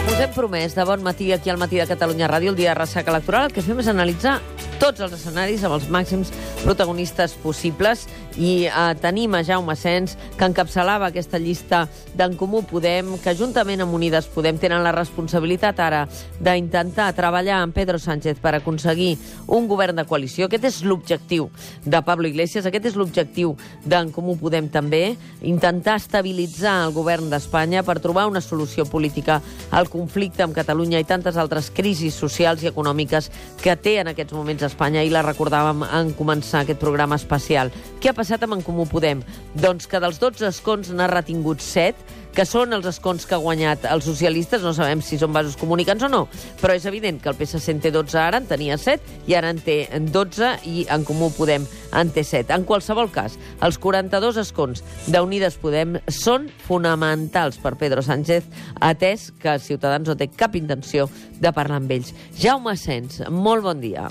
Com us hem promès, de bon matí aquí al Matí de Catalunya Ràdio, el dia de ressaca electoral, el que fem és analitzar tots els escenaris amb els màxims protagonistes possibles i tenim a Jaume Asens, que encapçalava aquesta llista d'En Comú Podem, que juntament amb Unides Podem tenen la responsabilitat ara d'intentar treballar amb Pedro Sánchez per aconseguir un govern de coalició. Aquest és l'objectiu de Pablo Iglesias, aquest és l'objectiu d'En Comú Podem també, intentar estabilitzar el govern d'Espanya per trobar una solució política al conflicte amb Catalunya i tantes altres crisis socials i econòmiques que té en aquests moments Espanya, i la recordàvem en començar aquest programa especial. Què ha passat amb En Comú Podem? Doncs que dels 12 escons n'ha retingut 7, que són els escons que ha guanyat els socialistes. No sabem si són vasos comunicants o no, però és evident que el PSC en té 12 ara, en tenia 7, i ara en té 12, i En Comú Podem en té 7. En qualsevol cas, els 42 escons d'Unides Podem són fonamentals per Pedro Sánchez, atès que Ciutadans no té cap intenció de parlar amb ells. Jaume Asens, molt bon dia.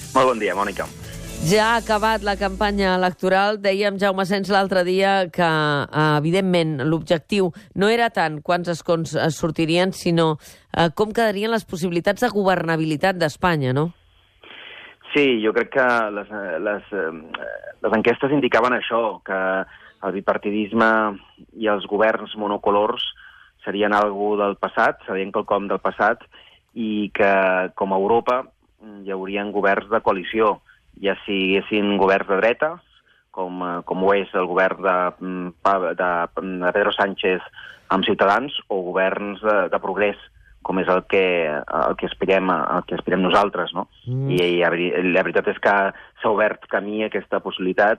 Molt bon dia, Mònica. Ja ha acabat la campanya electoral. Dèiem, Jaume Asens, l'altre dia que, evidentment, l'objectiu no era tant quants escons sortirien, sinó com quedarien les possibilitats de governabilitat d'Espanya, no? Sí, jo crec que les enquestes indicaven això, que el bipartidisme i els governs monocolors serien algo del passat, serien quelcom del passat, i que, com a Europa, hi haurien governs de coalició, ja siguessin governs de dreta, com ho és el govern de Pedro Sánchez amb Ciutadans, o governs de progrés, com és el que aspirem nosaltres, no? I la veritat és que s'ha obert camí a aquesta possibilitat,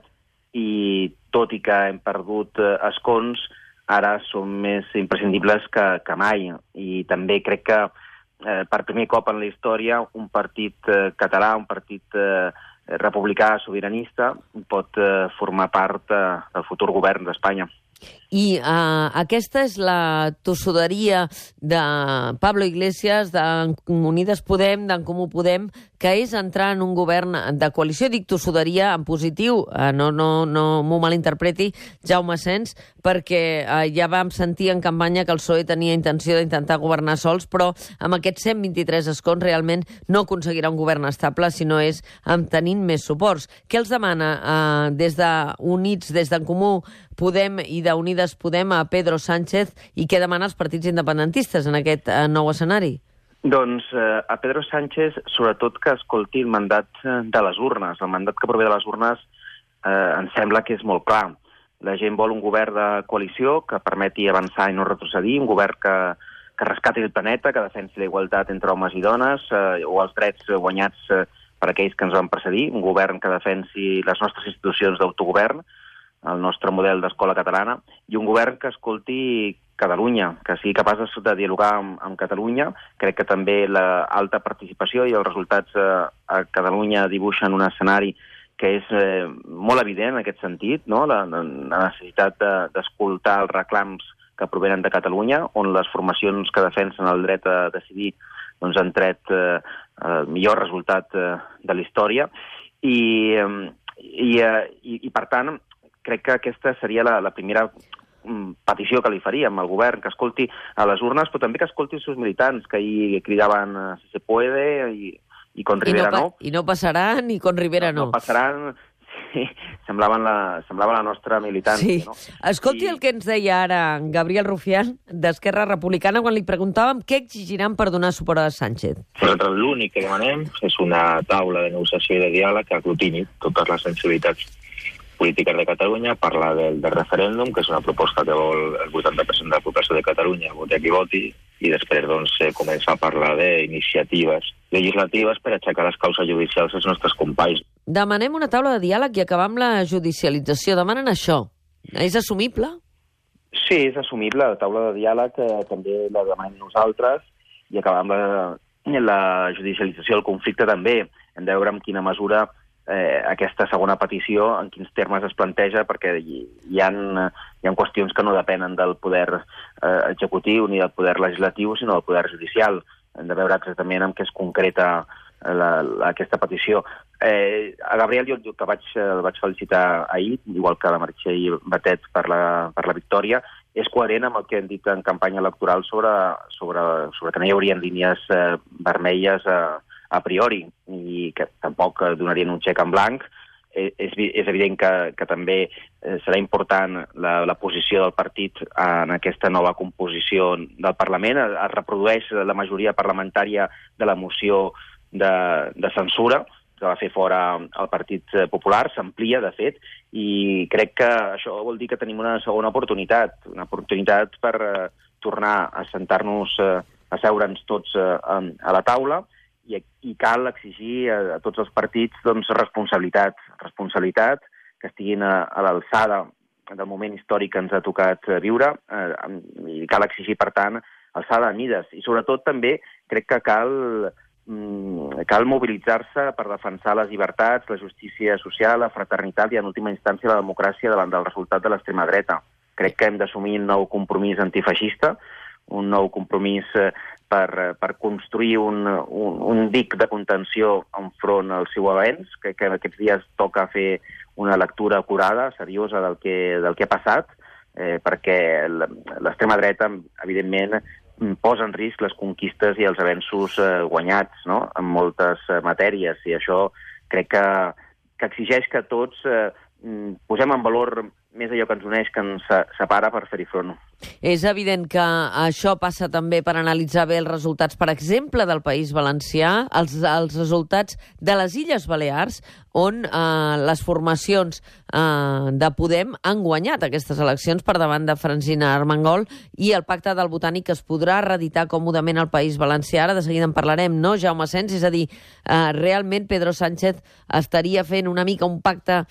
i tot i que hem perdut escons, ara són més imprescindibles que mai. I també crec que per primer cop en la història un partit català, un partit republicà sobiranista, pot formar part del futur govern d'Espanya. I aquesta és la tossuderia de Pablo Iglesias, d'Unides Podem, d'En Comú Podem, que és entrar en un govern de coalició. Dic tossuderia en positiu, no m'ho malinterpreti, Jaume Asens, perquè ja vam sentir en campanya que el PSOE tenia intenció d'intentar governar sols, però amb aquests 123 escons realment no aconseguirà un govern estable, sinó és tenint més suports. Què els demana des d'Units, des d'En Comú Podem i d'Unides Podem a Pedro Sánchez, i què demana els partits independentistes en aquest nou escenari? Doncs a Pedro Sánchez, sobretot que escolti el mandat de les urnes. El mandat que prové de les urnes ens sembla que és molt clar. La gent vol un govern de coalició que permeti avançar i no retrocedir, un govern que rescati el planeta, que defensi la igualtat entre homes i dones, o els drets guanyats per aquells que ens van precedir, un govern que defensi les nostres institucions d'autogovern, el nostre model d'escola catalana, i un govern que escolti Catalunya, que sigui capaç de dialogar amb Catalunya. Crec que també l'alta participació i els resultats a Catalunya dibuixen un escenari que és molt evident en aquest sentit, no? La necessitat d'escoltar els reclams que provenen de Catalunya, on les formacions que defensen el dret a decidir doncs, han tret el millor resultat de la història. I per tant, crec que aquesta seria la primera petició que li faríem al govern, que escolti a les urnes, però també que escolti els seus militants, que ahir cridaven si se puede i con Rivera no. I no passaran, i con Rivera no. No passaran, sí, semblava la nostra militància. Sí. No? Escolti el que ens deia ara Gabriel Rufián, d'Esquerra Republicana, quan li preguntàvem què exigiran per donar suport a Sánchez. Nosaltres l'únic que demanem és una taula de negociació i de diàleg que aglutini totes les sensibilitats polítiques de Catalunya, parlar del referèndum, que és una proposta que vol el 80% de la població de Catalunya, voti a qui voti, i després començar a parlar d'iniciatives legislatives per aixecar les causes judicials als nostres companys. Demanem una taula de diàleg i acabar amb la judicialització. Demanen això. És assumible? Sí, és assumible. La taula de diàleg també la demanem nosaltres, i acabar amb la judicialització del conflicte també. Hem de veure en quina mesura aquesta segona petició, en quins termes es planteja, perquè hi ha qüestions que no depenen del poder executiu ni del poder legislatiu, sinó del poder judicial. Hem de veure exactament en què es concreta aquesta petició. A Gabriel jo el vaig felicitar ahir, igual que la Meritxell Batet per la victòria, és coherent amb el que hem dit en campanya electoral sobre que no hi haurien línies vermelles a priori i que tampoc donarien un xec en blanc. És evident que també serà important la posició del partit en aquesta nova composició del Parlament. Es reprodueix la majoria parlamentària de la moció de censura que va fer fora el Partit Popular, s'amplia, de fet, i crec que això vol dir que tenim una segona oportunitat per tornar a sentar-nos, a seure'ns tots a la taula, i cal exigir a tots els partits responsabilitat, que estiguin a l'alçada del moment històric que ens ha tocat viure, i cal exigir, per tant, alçada de mides. I sobretot també crec que cal mobilitzar-se per defensar les llibertats, la justícia social, la fraternitat i, en última instància, la democràcia davant del resultat de l'extrema dreta. Crec que hem d'assumir un nou compromís antifeixista, un nou compromís per construir un dic de contenció enfront al seu avenç, que aquests dies toca fer una lectura acurada, seriosa del que ha passat, perquè l'extrema dreta, evidentment, posa en risc les conquistes i els avenços guanyats, no?, en moltes matèries, i això crec que exigeix que tots posem en valor més allò que ens uneix que ens separa per fer-hi front. És evident que això passa també per analitzar bé els resultats, per exemple, del País Valencià, els resultats de les Illes Balears, on les formacions de Podem han guanyat aquestes eleccions per davant de Francina Armengol, i el pacte del Botànic es podrà reeditar còmodament al País Valencià. Ara de seguida en parlarem, no, Jaume Asens? És a dir, realment Pedro Sánchez estaria fent una mica un pacte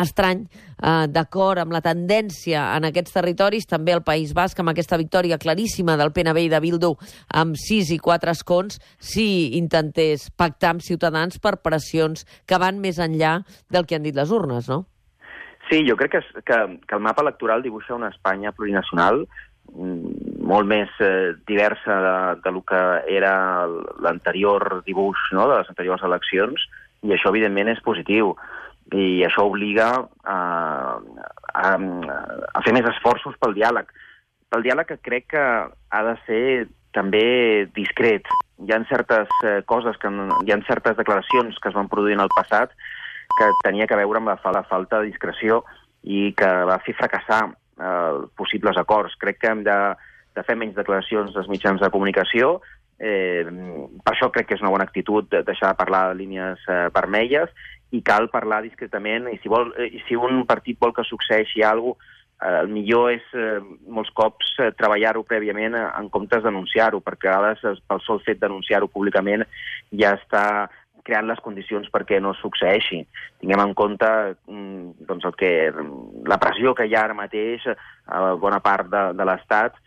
estrany, d'acord amb la tendència en aquests territoris, també al País Basc, amb aquesta victòria claríssima del PNB i de Bildu amb 6 i 4 escons, si intentés pactar amb Ciutadans per pressions que van més enllà del que han dit les urnes, no? Sí, jo crec que el mapa electoral dibuixa una Espanya plurinacional molt més diversa del que era l'anterior dibuix, no?, de les anteriors eleccions, i això, evidentment, és positiu. I això obliga a fer més esforços pel diàleg. Pel diàleg que crec que ha de ser també discret. Hi ha certes coses, hi ha certes declaracions que es van produir en el passat que tenia que veure amb la falta de discreció i que va fer fracassar possibles acords. Crec que hem de fer menys declaracions dels mitjans de comunicació. Per això crec que és una bona actitud deixar de parlar de línies vermelles, i cal parlar discretament, i si un partit vol que succeeixi alguna cosa, el millor és molts cops treballar-ho prèviament en comptes d'anunciar-ho, perquè a vegades pel sol fet d'anunciar-ho públicament ja està creant les condicions perquè no succeeixi. Tinguem en compte la pressió que hi ha ara mateix a bona part de l'Estat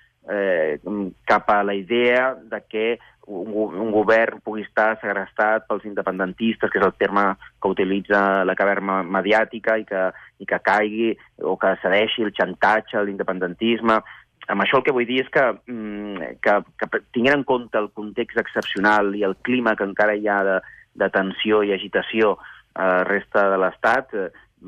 cap a la idea de que un govern pugui estar segrestat pels independentistes, que és el terme que utilitza la caverna mediàtica, i que caigui o que cedeixi el xantatge, l'independentisme. Amb això el que vull dir és que tinguent en compte el context excepcional i el clima que encara hi ha de tensió i agitació a la resta de l'Estat,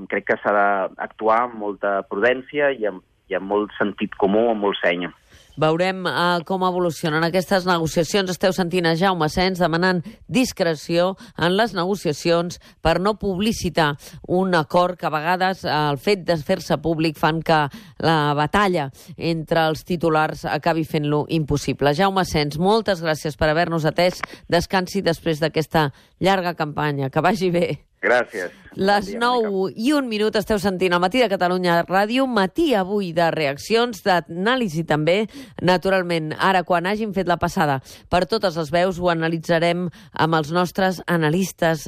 crec que s'ha d'actuar amb molta prudència i amb molt sentit comú, amb molt seny. Veurem com evolucionen aquestes negociacions. Esteu sentint a Jaume Asens demanant discreció en les negociacions per no publicitar un acord que a vegades el fet de fer-se públic fan que la batalla entre els titulars acabi fent-lo impossible. Jaume Asens, moltes gràcies per haver-nos atès. Descansi després d'aquesta llarga campanya. Que vagi bé. Gràcies. Les 9:01 esteu sentint al Matí de Catalunya Ràdio, matí avui de reaccions, d'anàlisi també. Naturalment, ara quan hàgim fet la passada per totes les veus ho analitzarem amb els nostres analistes